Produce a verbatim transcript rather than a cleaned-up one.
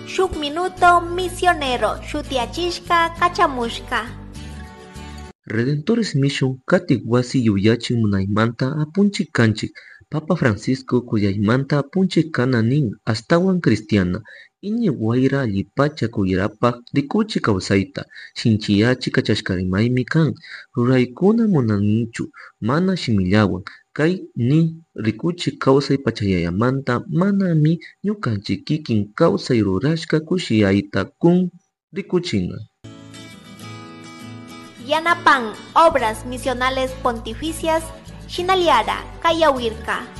Shuk Minuto Misionero shutiyachishka kachamushka. Redentores Mission katik wasi yuyachin munaymanta apunchik kanchik. Papa Francisco kuyaymanta apunchik kana nin ashtawan cristiana. Iñi wayra allipacha kuyrapak rikuchi kawsayta shinchiyachi kachashkarimaymi kan. Ruraykuna munanichu mana shimillawan. Kay ni rikuchi kawsay pachayayamanta manami ñukanchik kikin kawsay rurashka kushiyayta kun rikuchina. Yanapan Obras Misionales Pontificias Shinaliara Kayawirka.